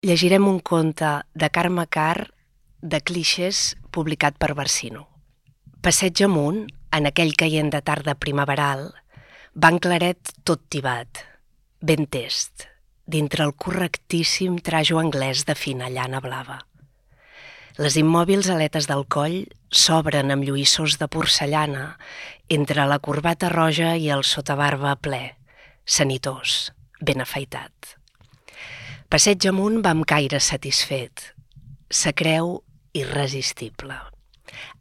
Llegirem un conte de Carme Carr de clixés publicat per Barsino. Passeig amunt, en aquell caient de tarda primaveral, van claret tot tibat, ben test, dintre el correctíssim trajo anglès de fina llana blava. Les immòbils aletes del coll s'obren amb lluïssors de porcellana entre la corbata roja i el sotabarba ple, sanitós, ben afaitat. Passeig amunt va amb caire satisfet. Se creu irresistible.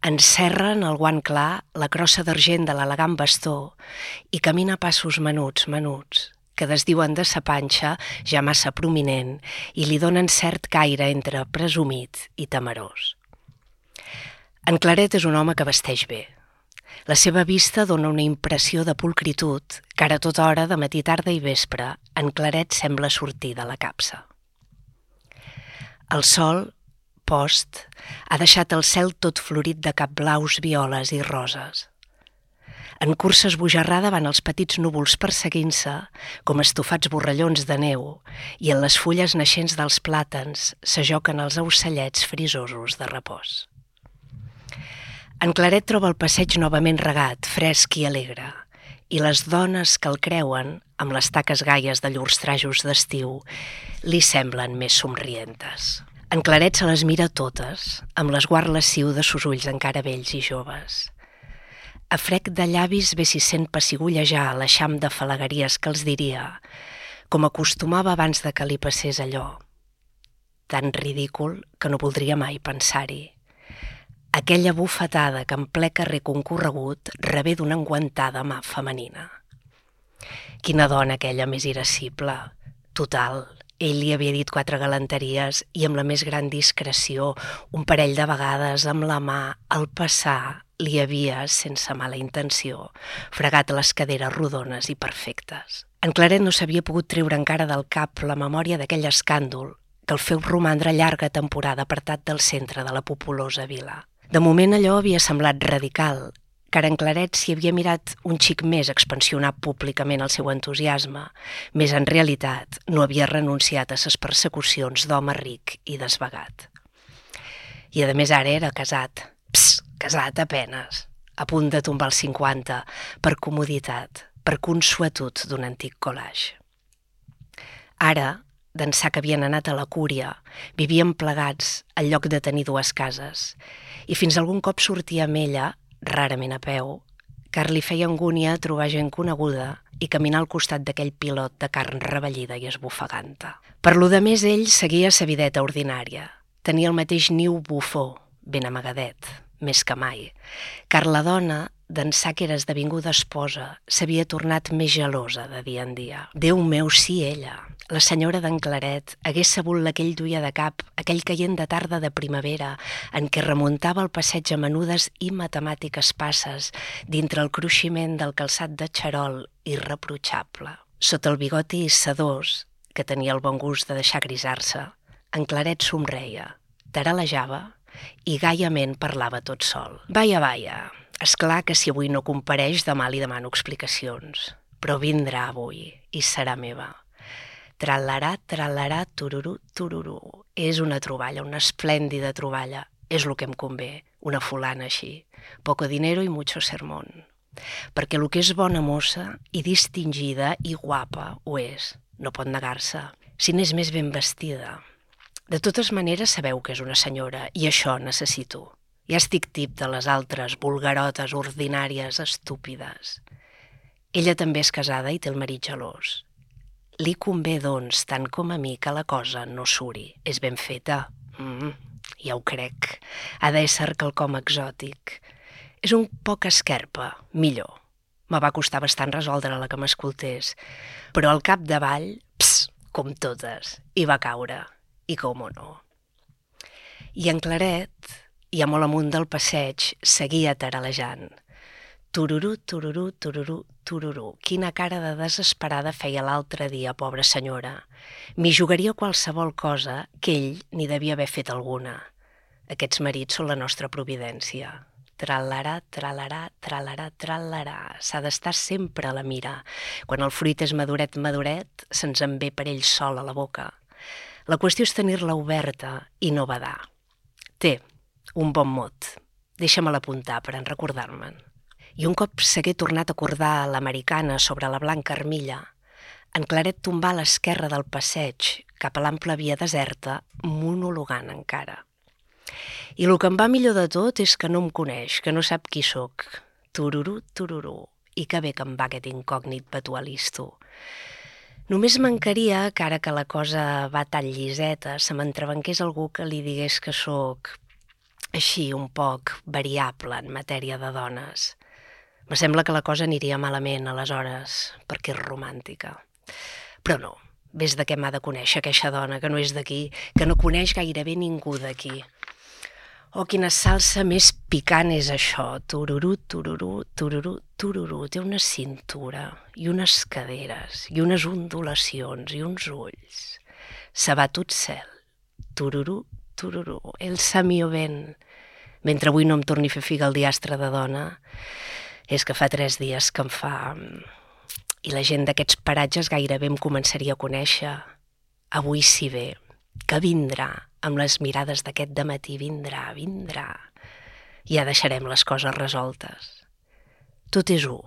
Encerra en el guant clar la crossa d'argent de l'elegant bastó i camina a passos menuts, que desdiuen de sa panxa ja massa prominent i li donen cert caire entre presumit i temerós. En Claret és un home que vesteix bé. La seva vista dona una impressió de pulcritud que ara a tota hora, de matí, tarda i vespre, en Claret sembla sortir de la capsa. El sol, post, ha deixat el cel tot florit de capblaus, violes i roses. En cursa esbojarrada van els petits núvols perseguint-se com estofats borrallons de neu i en les fulles naixents dels plàtans s'ajoquen els ocellets frisosos de repòs. En Claret troba el passeig novament regat, fresc i alegre, i les dones que el creuen, amb les taques gaies de llurs trajos d'estiu, li semblen més somrientes. En Claret se les mira totes, amb l'esguard lasciu de sos ulls encara vells i joves. A frec de llavis ve si sent pessigollejar l'eixam de falagueries que els diria, com acostumava abans de que li passés allò. Tan ridícul que no voldria mai pensar-hi. Aquella bufetada que en ple carrer concorregut rebé d'una enguantada mà femenina. Quina dona aquella més irascible. Total, ell li havia dit 4 galanteries i amb la més gran discreció, un parell de vegades amb la mà, al passar, li havia, sense mala intenció, fregat les caderes rodones i perfectes. En Claret no s'havia pogut treure encara del cap la memòria d'aquell escàndol que el feu romandre llarga temporada apartat del centre de la populosa vila. De moment allò havia semblat radical, car en Claret s'hi havia mirat un xic més expansionar públicament el seu entusiasme, més en realitat no havia renunciat a ses persecucions d'home ric i desvagat. I a més ara era casat, casat a penes, a punt de tombar els 50, per comoditat, per consuetud d'un antic collage. Ara, d'ençà que havien anat a la cúria, vivien plegats al lloc de tenir 2 cases, i fins algun cop sortia amb ella, rarament a peu, car li feia angúnia trobar gent coneguda i caminar al costat d'aquell pilot de carn rebellida i esbufeganta. Per lo de més, ell seguia sa videta ordinària. Tenia el mateix niu bufó, ben amagadet, més que mai, car la dona, d'ençà que era esdevinguda esposa, s'havia tornat més gelosa de dia en dia. Déu meu, sí, ella, la senyora d'en Claret, hagués sabut l'aquell duia de cap, aquell caient de tarda de primavera, en què remuntava el passeig a menudes i matemàtiques passes dintre el cruiximent del calçat de xarol irreprotxable. Sota el bigoti sedós, que tenia el bon gust de deixar grisar-se, en Claret somreia, taralejava i gaiament parlava tot sol. Vaja, esclar que si avui no compareix demà li demano explicacions, però vindrà avui i serà meva. Tralarà, tururú. És una troballa, una esplèndida troballa. És el que em convé, una fulana així. Poco dinero i mucho sermón. Perquè el que és bona mossa i distingida i guapa ho és, no pot negar-se, si n'és més ben vestida. De totes maneres sabeu que és una senyora i això necessito. Ja estic tip de les altres vulgarotes ordinàries estúpides. Ella també és casada i té el marit gelós. Li convé, doncs, tant com a mi, que la cosa no suri. És ben feta. Ja ho crec. Ha d'ésser quelcom exòtic. És un poc esquerpa, millor. Me va costar bastant resoldre-la que m'escoltés. Però al capdavall, com totes, hi va caure. I com o no. I en Claret, ja molt amunt del passeig, seguia taralejant. Tururú. Quina cara de desesperada feia l'altre dia, pobra senyora. M'hi jugaria qualsevol cosa que ell n'hi devia haver fet alguna. Aquests marits són la nostra providència. Tralarà. S'ha d'estar sempre a la mira. Quan el fruit és maduret, se'ns en ve per ell sol a la boca. La qüestió és tenir-la oberta i no badar. Té un bon mot. Deixa-me'l apuntar per en recordar-me'n. I un cop s'hagué tornat a acordar l'americana sobre la blanca armilla, en Claret tombà a l'esquerra del passeig cap a l'ample via deserta, monologant encara. I el que em va millor de tot és que no em coneix, que no sap qui sóc. Tururú, tururú. I que bé que em va aquest incògnit batualisto. Només mancaria que ara que la cosa va tan lliseta se m'entrebanqués algú que li digués que sóc així un poc variable en matèria de dones. Me sembla que la cosa aniria malament, aleshores, perquè és romàntica. Però no, ves de què m'ha de conèixer aquesta dona, que no és d'aquí, que no coneix gairebé ningú d'aquí. Oh, quina salsa més picant és això. Tururú, tururú, tururú, tururú. Té una cintura i unes caderes i unes ondulacions i uns ulls. Se va tot cel. Tururú, tururú. El sa mio ben. Mentre avui no em torni a fer figa el diastre de dona, és que fa 3 dies que em fa... I la gent d'aquests paratges gairebé em començaria a conèixer. Avui sí ve, que vindrà, amb les mirades d'aquest dematí, vindrà. Ja deixarem les coses resoltes. Tot és u.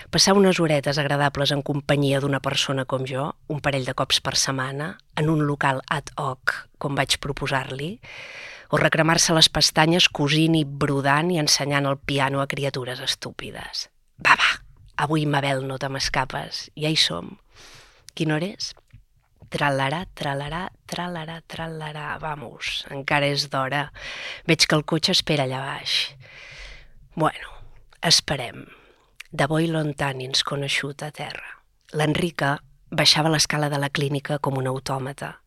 Passar unes horetes agradables en companyia d'una persona com jo, un parell de cops per setmana, en un local ad hoc, com vaig proposar-li, o recremar-se les pestanyes cosint i brodant i ensenyant el piano a criatures estúpides. Va, avui, Mabel, no te m'escapes, ja hi som. Quina hora és? Tralarà, tralarà, tralarà, tralarà, vamos, encara és d'hora. Veig que el cotxe espera allà baix. Bueno, esperem. De bo i lontani ens conegut a terra. L'Enrica baixava l'escala de la clínica com un autòmata,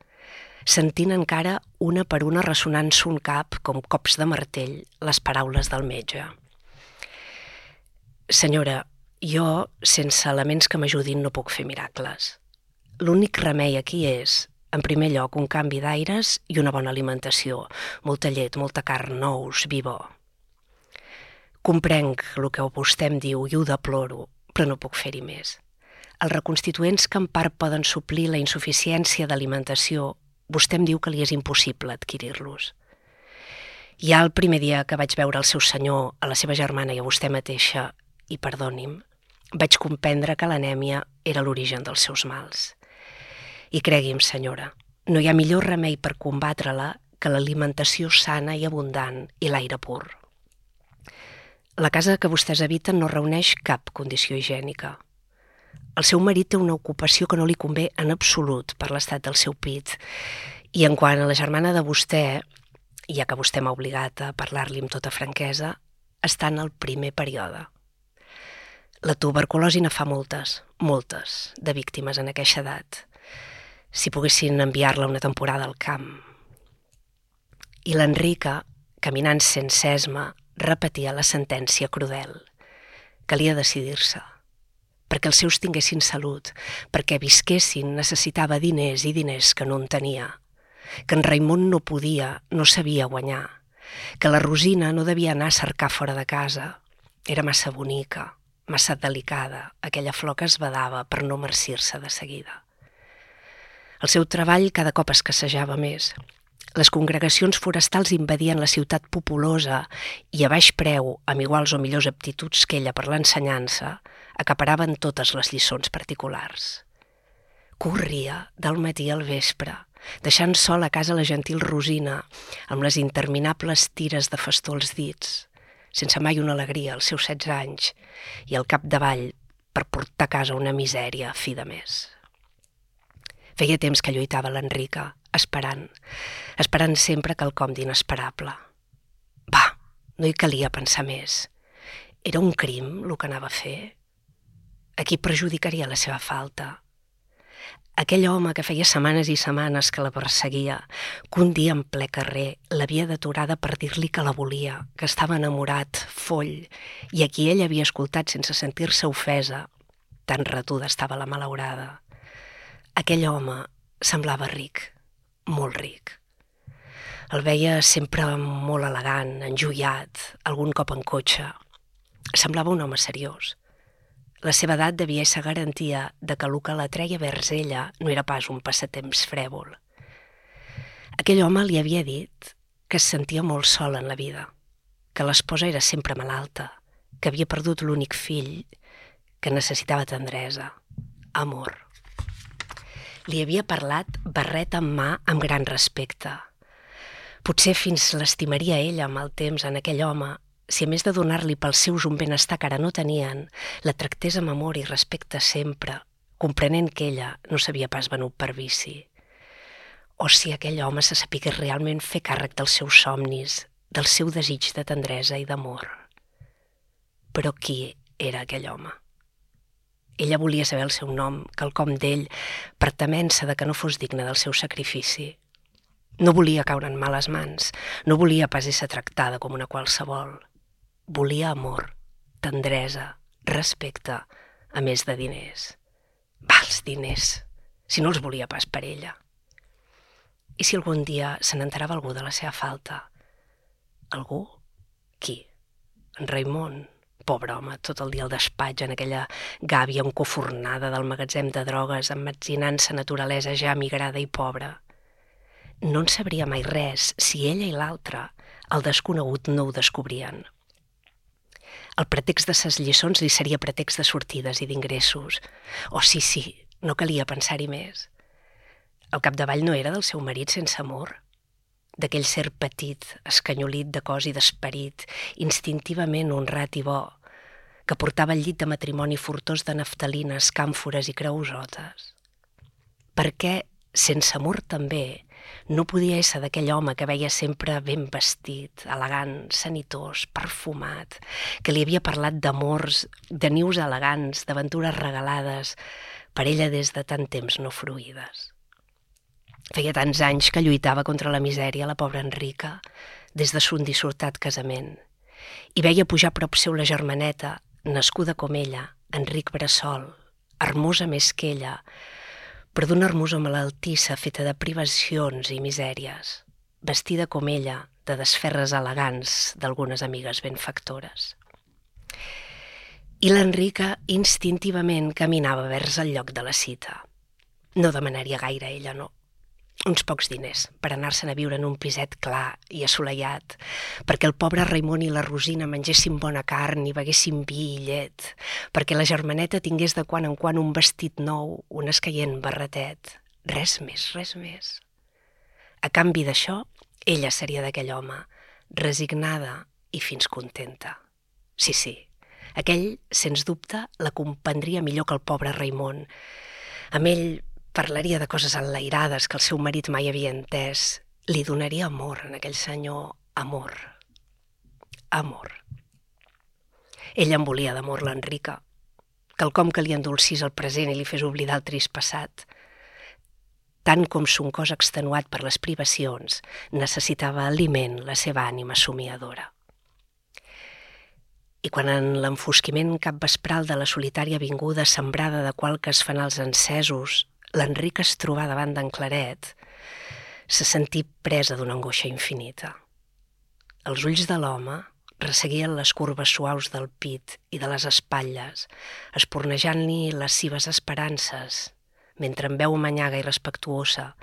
sentint encara una per una ressonant son cap, com cops de martell, les paraules del metge. Senyora, jo, sense elements que m'ajudin, no puc fer miracles. L'únic remei aquí és, en primer lloc, un canvi d'aires i una bona alimentació, molta llet, molta carn, nous, vi bo. Comprenc el que vostè em diu i ho deploro, però no puc fer-hi més. Els reconstituents que en part poden suplir la insuficiència d'alimentació, vostè em diu que li és impossible adquirir-los. Ja el primer dia que vaig veure el seu senyor, a la seva germana i a vostè mateixa, i perdoni'm, vaig comprendre que l'anèmia era l'origen dels seus mals. I cregui'm, senyora, no hi ha millor remei per combatre-la que l'alimentació sana i abundant i l'aire pur. La casa que vostès habiten no reuneix cap condició higiènica. El seu marit té una ocupació que no li convé en absolut per l'estat del seu pit. I en quant a la germana de vostè, ja que vostè m'ha obligat a parlar-li amb tota franquesa, està en el primer període. La tuberculosi ne fa moltes, de víctimes en aquesta edat. Si poguessin enviar-la una temporada al camp. I l'Enrica, caminant sense esma, repetia la sentència crudel. Calia decidir-se. Perquè els seus tinguessin salut, perquè visquessin, necessitava diners i diners que no en tenia. Que en Raimon no podia, no sabia guanyar. Que la Rosina no devia anar a cercar fora de casa. Era massa bonica, massa delicada, aquella flor que es badava per no marcir-se de seguida. El seu treball cada cop escassejava més. Les congregacions forestals invadien la ciutat populosa i a baix preu, amb iguals o millors aptituds que ella per l'ensenyança, acaparaven totes les lliçons particulars. Corria del matí al vespre, deixant sol a casa la gentil Rosina, amb les interminables tires de fastó als dits, sense mai una alegria als seus 16 anys, i al capdavall per portar a casa una misèria a fi de mes. Feia temps que lluitava l'Enrica, esperant sempre quelcom d'inesperable. Va, no hi calia pensar més. Era un crim el que anava a fer? A qui perjudicaria la seva falta? Aquell home que feia setmanes i setmanes que la perseguia, que un dia en ple carrer l'havia deturada per dir-li que la volia, que estava enamorat, foll, i a qui ell havia escoltat sense sentir-se ofesa, tan retuda estava la malaurada. Aquell home semblava ric, molt ric. El veia sempre molt elegant, enjoiat, algun cop en cotxe. Semblava un home seriós. La seva edat devia ser garantia de que el que l'atreia vers ella no era pas un passatemps frèvol. Aquell home li havia dit que es sentia molt sol en la vida, que l'esposa era sempre malalta, que havia perdut l'únic fill, que necessitava tendresa, amor. Li havia parlat barret en mà amb gran respecte. Potser fins l'estimaria ella amb el temps en aquell home, si a més de donar-li pels seus un benestar que ara no tenien, la tractés amb amor i respecte sempre, comprenent que ella no s'havia pas venut per vici. O si aquell home se sapigués realment fer càrrec dels seus somnis, del seu desig de tendresa i d'amor. Però qui era aquell home? Ella volia saber el seu nom, quelcom d'ell, per temença de que no fos digne del seu sacrifici. No volia caure en males mans, no volia pas ésser tractada com una qualsevol. Volia amor, tendresa, respecte, a més de diners. Els diners, si no els volia pas per ella. I si algun dia se n'enterava algú de la seva falta? Algú? Qui? En Raimon? Pobre home, tot el dia al despatx, en aquella gàbia encofornada del magatzem de drogues, emmetzinant-se naturalesa ja migrada i pobra. No en sabria mai res si ella i l'altre, el desconegut, no ho descobrien. El pretext de ses lliçons li seria pretext de sortides i d'ingressos. Oh, sí, no calia pensar-hi més. Al capdavall no era del seu marit sense amor? D'aquell ser petit, escanyolit de cos i d'esperit, instintivament honrat i bo, que portava al llit de matrimoni furtós de naftalines, càmfores i creusotes. Per què, sense amor també, no podia ésser d'aquell home que veia sempre ben vestit, elegant, sanitós, perfumat, que li havia parlat d'amors, de nius elegants, d'aventures regalades, per ella des de tant temps no fruïdes. Feia tants anys que lluitava contra la misèria la pobra Enrica, des de son dissortat casament, i veia pujar a prop seu la germaneta, nascuda com ella, Enric Bressol, hermosa més que ella, però d'una hermosa malaltissa feta de privacions i misèries, vestida com ella, de desferres elegants d'algunes amigues benfactores. I l'Enrica instintivament caminava vers el lloc de la cita. No demanaria gaire ella, no. Uns pocs diners per anar-se'n a viure en un piset clar i assolellat, perquè el pobre Raimon i la Rosina mengessin bona carn i beguessin vi i llet, perquè la germaneta tingués de quan en quan un vestit nou, un escaient barretet. Res més, res més. A canvi d'això, ella seria d'aquell home, resignada i fins contenta. Sí, aquell, sens dubte, la comprendria millor que el pobre Raimon. Amb ell parlaria de coses enlairades que el seu marit mai havia entès. Li donaria amor en aquell senyor, amor. Amor. Ella en volia d'amor l'Enrica, quelcom que li endolcís el present i li fes oblidar el trist passat. Tant com son cos extenuat per les privacions, necessitava aliment la seva ànima somiadora. I quan en l'enfosquiment capvespral de la solitària avinguda sembrada de qualques fanals encesos, l'Enric es trobà davant d'en Claret, se sentí presa d'una angoixa infinita. Els ulls de l'home resseguien les curves suaus del pit i de les espatlles, espornejant-li les seves esperances, mentre en veu manyaga i respectuosa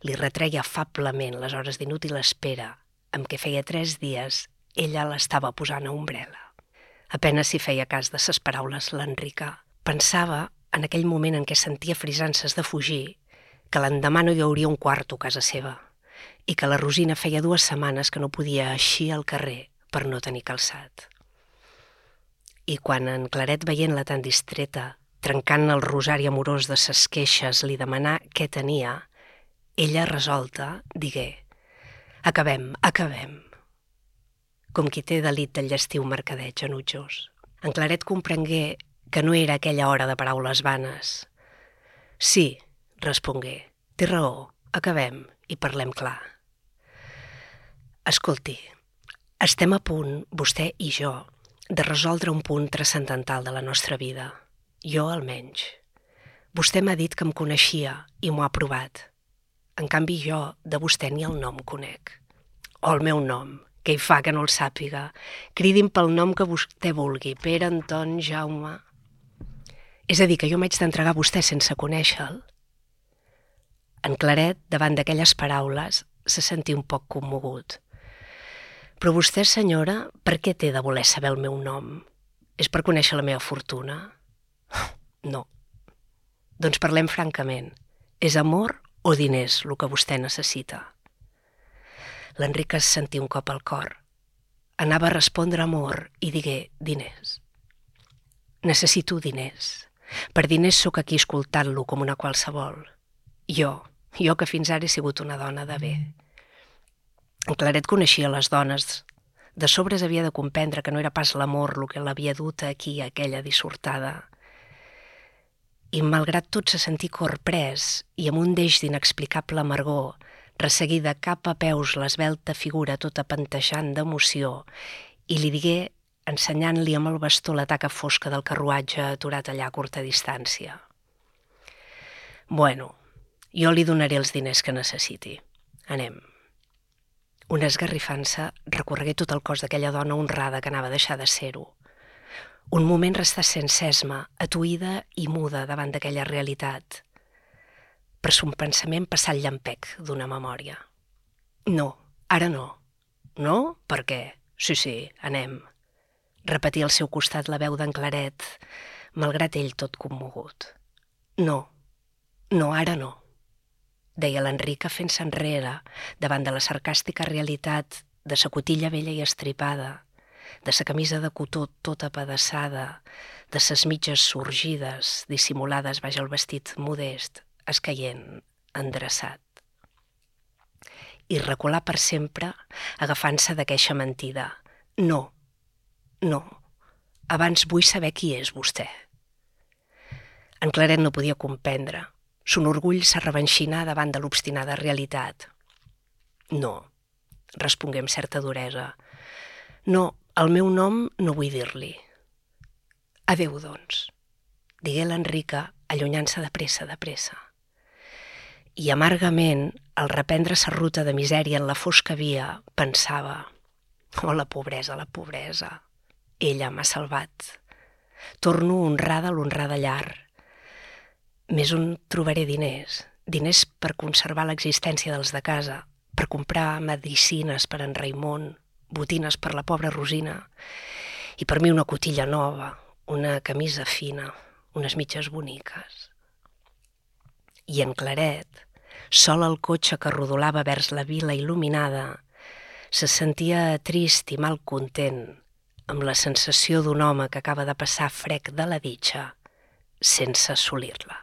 li retreia afablement les hores d'inútil espera amb què feia 3 dies ella l'estava posant a ombrela. Apenas si feia cas de ses paraules l'Enrica. Pensava, en aquell moment en què sentia frisances de fugir, que l'endemà no hi hauria un quarto a casa seva i que la Rosina feia 2 setmanes que no podia eixir al carrer per no tenir calçat. I quan en Claret, veient-la tan distreta, trencant el rosari amorós de ses queixes, li demanà què tenia, ella, resolta, digué: acabem. Com qui té delit del llestiu mercadeig enutjós. En Claret comprengué que no era aquella hora de paraules vanes. Sí, respongué, té raó, acabem i parlem clar. Escolti, estem a punt, vostè i jo, de resoldre un punt transcendental de la nostra vida. Jo, almenys. Vostè m'ha dit que em coneixia i m'ho ha provat. En canvi, jo de vostè ni el nom conec. O el meu nom, què hi fa que no el sàpiga? Cridi'm pel nom que vostè vulgui, Pere, Anton, Jaume. És a dir, que jo m'haig d'entregar a vostè sense conèixer-lo. En Claret, davant d'aquelles paraules, se sentia un poc commogut. Però vostè, senyora, per què té de voler saber el meu nom? És per conèixer la meva fortuna? No. Doncs parlem francament. És amor o diners el que vostè necessita? L'Enric es sentia un cop al cor. Anava a respondre amor i digué diners. Necessito diners. Per diners sóc aquí escoltant-lo com una qualsevol. Jo que fins ara he sigut una dona de bé. En Claret coneixia les dones. De sobres havia de comprendre que no era pas l'amor el que l'havia dut aquí, aquella dissortada. I malgrat tot se sentí corprès i amb un deix d'inexplicable amargor, resseguida cap a peus l'esvelta figura tota panteixant d'emoció, i li digué, ensenyant-li amb el bastó la taca fosca del carruatge aturat allà a curta distància. Bueno, jo li donaré els diners que necessiti. Anem. Una esgarrifança recorregué tot el cos d'aquella dona honrada que anava a deixar de ser-ho. Un moment restà sense esma, atuïda i muda davant d'aquella realitat. Per son pensament passà el llampec d'una memòria. No, ara no. No? Per què? Sí, anem. Repetia al seu costat la veu d'en Claret, malgrat ell tot commogut. No, ara no. Deia l'Enrica fent-se enrere davant de la sarcàstica realitat de sa cotilla vella i estripada, de sa camisa de cotó tota apedaçada, de ses mitges sorgides, dissimulades baix el vestit modest, escaient, endreçat. I recular per sempre, agafant-se d'aqueixa mentida. No, abans vull saber qui és vostè. En Claret no podia comprendre. Son orgull s'arrevenxinà davant de l'obstinada realitat. No, respongué amb certa duresa. No, el meu nom no vull dir-li. Adéu, doncs, digué l'Enrica, allunyant-se de pressa. I amargament, al reprendre sa ruta de misèria en la fosca via, pensava: oh, la pobresa. Ella m'ha salvat. Torno honrada a l'honrada llar. Més on trobaré diners per conservar l'existència dels de casa, per comprar medicines per en Raimon, botines per la pobra Rosina, i per mi una cotilla nova, una camisa fina, unes mitges boniques. I en Claret, sol al cotxe que rodolava vers la vila il·luminada, se sentia trist i malcontent, amb la sensació d'un home que acaba de passar frec de la ditxa sense assolir-la.